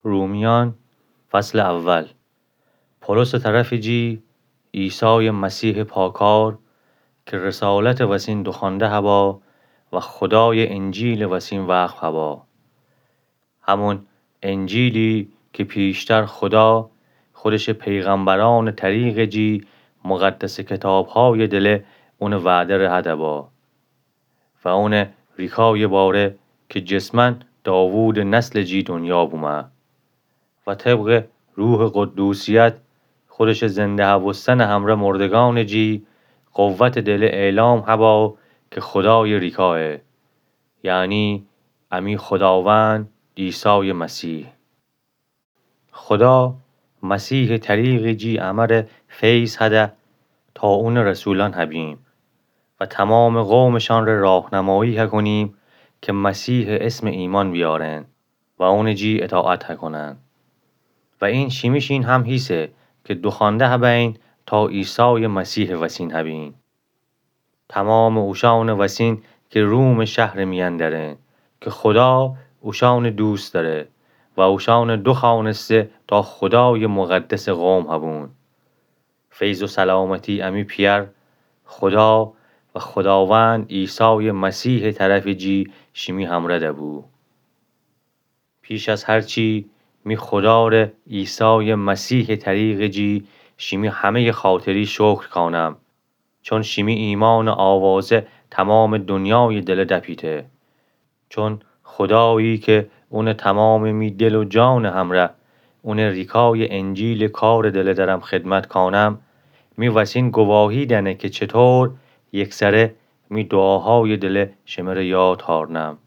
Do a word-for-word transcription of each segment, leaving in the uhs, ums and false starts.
رومیأن، فصل اول. پولس طرفٚ جی عیسایٚ مسیحٚ پاکار، کی رسالتٚ وسین دوخوأنده هبا و خودایٚ انجیلٚ وسین وقف هبا. همون انجیلی کی پیشتر خودا خودشٚ پیغمبرأنٚ طریقٚ جی مقدسٚ کتابهایٚ دله اونٚ وعده ره هده با و اونٚ ریکایٚ باره کی جسماً داوودٚ نسلٚ جی دونیا بومه و طبقٚ روحٚ قدوسیت خودشٚ زنده هوستنٚ همره مردگأنٚ جی قوتٚ دله اعلام هبا کی خودایٚ ریکایه، یعنی امی خوداوند عیسایٚ مسیح. خودا مسیحٚ طریقٚ جی امره فیض هده تا اونٚ رسولأن هبیم و تومامٚ قومٚ شأنٚ ره راهنمایی هکونیم کی مسیحٚ اسم ایمأن بیارن و اونٚ جی اطاعت هکونن. و این شیمیشین هم هیسه کی دوخوأنده هبین تا عیسایٚ مسیحٚ وسین هبین. تومامٚ اوشأنٚ وسین کی رومٚ شهرٚ میأن دأرن، کی خودا اوشأنٚ دوست دأره و اوشأنٚ دوخوأنسته تا خودایٚ مقدسٚ قوم هبون. فیض و سلامتی امی پیأر خودا و خوداوند عیسایٚ مسیحٚ طرفٚ جی شیمی همره دبو. پیش از هر چی می خودا ره عیسایٚ مسیحٚ طریقٚ جی شیمی همه‌یٚ خاطری شکر کانم، چون شیمی ایمأنٚ آوازه تومامٚ دونیایٚ دله دپیته. چون خودایی کی اونٚ تومامٚ می دل و جانٚ همره اونٚ ریکایٚ انجیلٚ کارٚ دله درم خدمت کانم، می وسین گواهی دأنه کی چطور یکسره می دوعاهایٚ دله شمره یاد هارنم.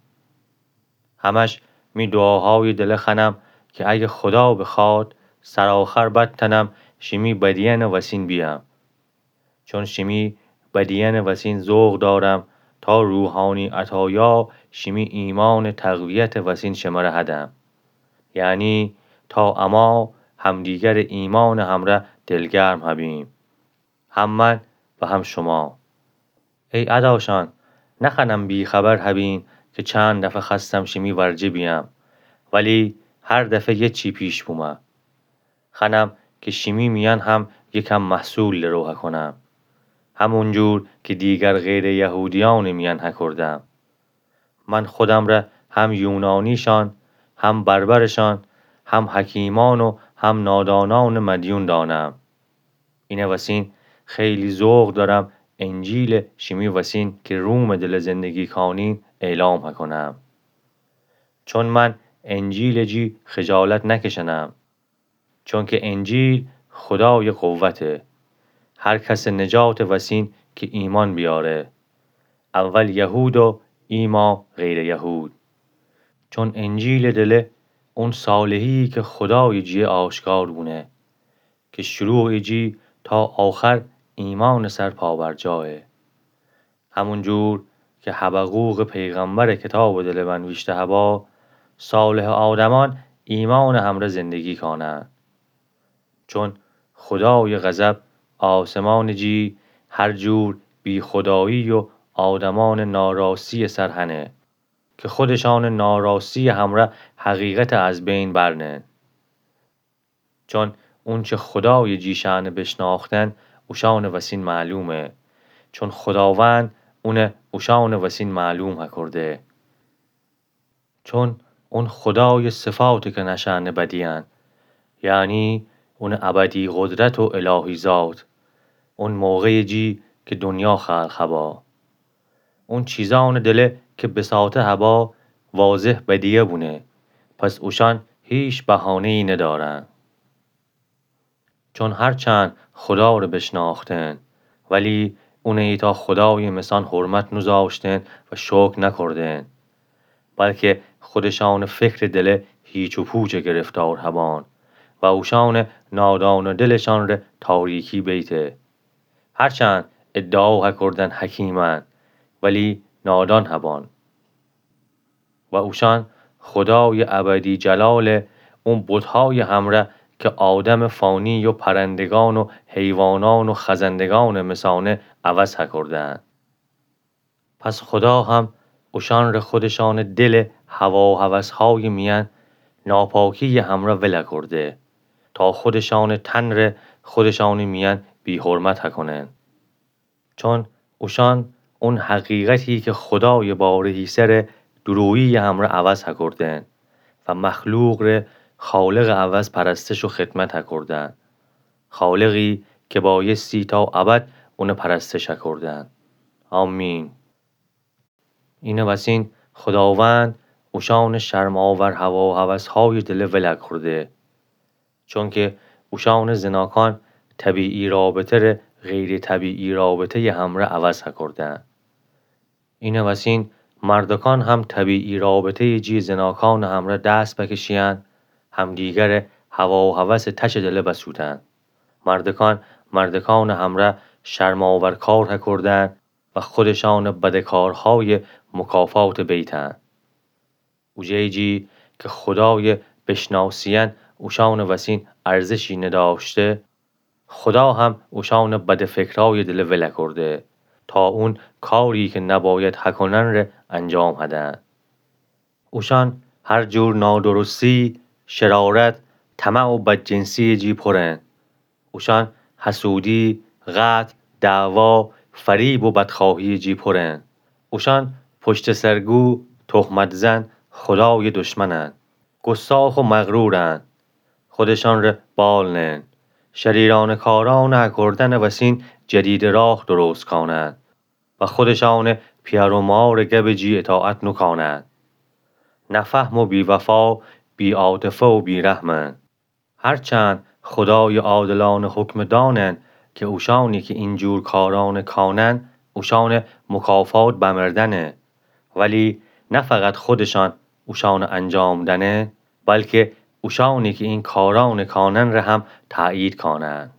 همش می دوعاهایٚ دله خوأنم کی اگه خودا بخواد، سرآخر بتأنم شیمی بدیأنٚ وسین بیأم. چون شیمی بدیأنٚ وسین ذوق دارم تا روحانی عطایا شیمی ایمأنٚ تقویتٚ وسین شمره هدم. یعنی تا اما همدیگرٚ ایمأنٚ همره دلگرم هبیم، هم من و هم شما. ای اداشأن، نخوأنم بی‌خبر هبین کی چند دفعه خوأستم شیمی ورجه بیأم، ولی هر دفعه یه چی پیش بومه. خوأنم کی شیمی میأن هم یکم محصول درو هکونم، همونجور کی دیگر غیرٚ یهودیأنٚ میأن هکردم. من خودم ره هم یونانیشأن، هم بربرشأن، هم حکیمأن و هم نادانأنٚ مدیون دانم. اینه وسین خیلی ذوق دارم انجیله شیمی وسین کی رومٚ دله زندگی کانین اعلام هکونم. چون من انجیلٚ جی خجالت نکشنم. چونکی انجیل خودایٚ قوته، هر کسٚ نجاتٚ وسین کی ایمأن بیاره، اول یهود و ایما غیرٚ یهود. چون انجیلٚ دله اون صالحی کی خودایٚ جیه آشکار بونه، کی شروعٚ جی تا آخر ایمأنٚ سر پابرجایه. همونجور کی حبقوقٚ پیغمبرٚ کتابٚ دله بنویشته هبا، صالحٚ آدمأن ایمأنٚ همره زندگی کانن. چون خودایٚ غضب آسمانٚ جی هر جور بی‌خودایی و آدمأنٚ ناراستیٚ سر هنه، کی خودشأنٚ ناراستیٚ همره حقیقت از بین برنن. چون اونچه خودایٚ جی شأنه بشناختن اوشأنٚ وسین معلومه، چون خوداوند اونه اوشأنٚ وسین معلوم هکرده. چون اون خودایٚ صفاته کی نشأنه بدیأن، یعنی اونٚ ابدی قدرت و الهی ذات، اون موقعٚ جی کی دونیا خلق هبا. اون چیزأنٚ دله کی بساطه هبا واضح بدیه بونه، پس اوشأن هیچ بهانه‌یی ندأرن. چون هرچند خودا ره بشناختن، ولی اونه ایتأ خودایٚ مثأن حرمت نوذاشتن و شکر نکردن، بلکی خودشأنٚ فکرٚ دله هیچ و پوچ گرفتار هبأن و اوشأنٚ نادانٚ دلشأن ره تاریکی بیته. هرچند ادعا هکردن حکیمأن، ولی نادان هبأن. و اوشأن خودایٚ ابدی جلاله اون بتهایٚ همره کی آدمٚ فانی و پرندگأن و حیوانأن و خزندگأنٚ مثأنه عوض هکردن. پس خودا هم اوشأن ره خودشأنٚ دلٚ هوا و هوسهایٚ میأن ناپاکی‌یٚ همرأ ول اکرده، تا خودشأنٚ تنَ ره خودشأنٚ میأن بی‌حرمت اکونن. چون اوشأن اون حقیقتی که خودایٚ باره‌ییسه ره دورویی‌یٚ همرأ عوض اکردن و مخلوق ره خالقٚ عوض پرستش و خدمت اکردن. خالقی که بایستی تا ابد اونٚ پرستش اکردن. آمین. اینه وسین خوداوند اوشأنٚ شرم‌آور هواهوس‌هایٚ دله ول اکرده. چونکه اوشأنٚ زناکان طبیعی رابطه ره غیرطبیعی رابطه‌یٚ همرأ عوض اکردن. اینه وسین مردکان هم طبیعی رابطه‌یٚ جی زناکانٚ همرأ دست بکشیأن، همدیگره هواهوسٚ تشٚ دله بسودن. مردکان مردکانٚ همرأ شرم‌آور کار هکردن و خودشأنٚ بدٚ کارهایٚ مکافات بیتن. اوجه‌یٚ جی که خودایٚ بشناسیأن اوشأنٚ وسین ارزشی ندأشته، خودا هم اوشأنٚ بدٚ فکرایٚ دله ول اکرده، تا اون کاری که نباید هکونن ره انجام هدن. اوشأن هر جور نادرستی، شرارت، طمع و بدجنسی‌یٚ جی پرن. اوشأن حسودی، قتل، دعوا، فریب و بدخواهی‌یٚ جی پرن. اوشأن پشت‌سرگو، تهمت‌زن، خودایٚ دشمنن. گستاخ و مغرورن. خودشأن ره بال نئن. شریرأنه کارأنٚ هکردنٚ وسین جدیدٚ راه درست کانن و خودشأنٚ پیأر و مارٚ گبٚ جی اطاعت نوکانن. نفهم و بی‌وفا، بی‌عاطفه و بی‌رحمن. هرچند خودایٚ عادلأنه حکمه دأنن که اوشأنی که اینجور کارأنه کانن، اوشأنٚ مکافات بمردنه، ولی نه فقط خودشأن اوشأنه انجام دأنن، بلکه اوشأنی که این کارأنه کانن ره هم تأیید کانن.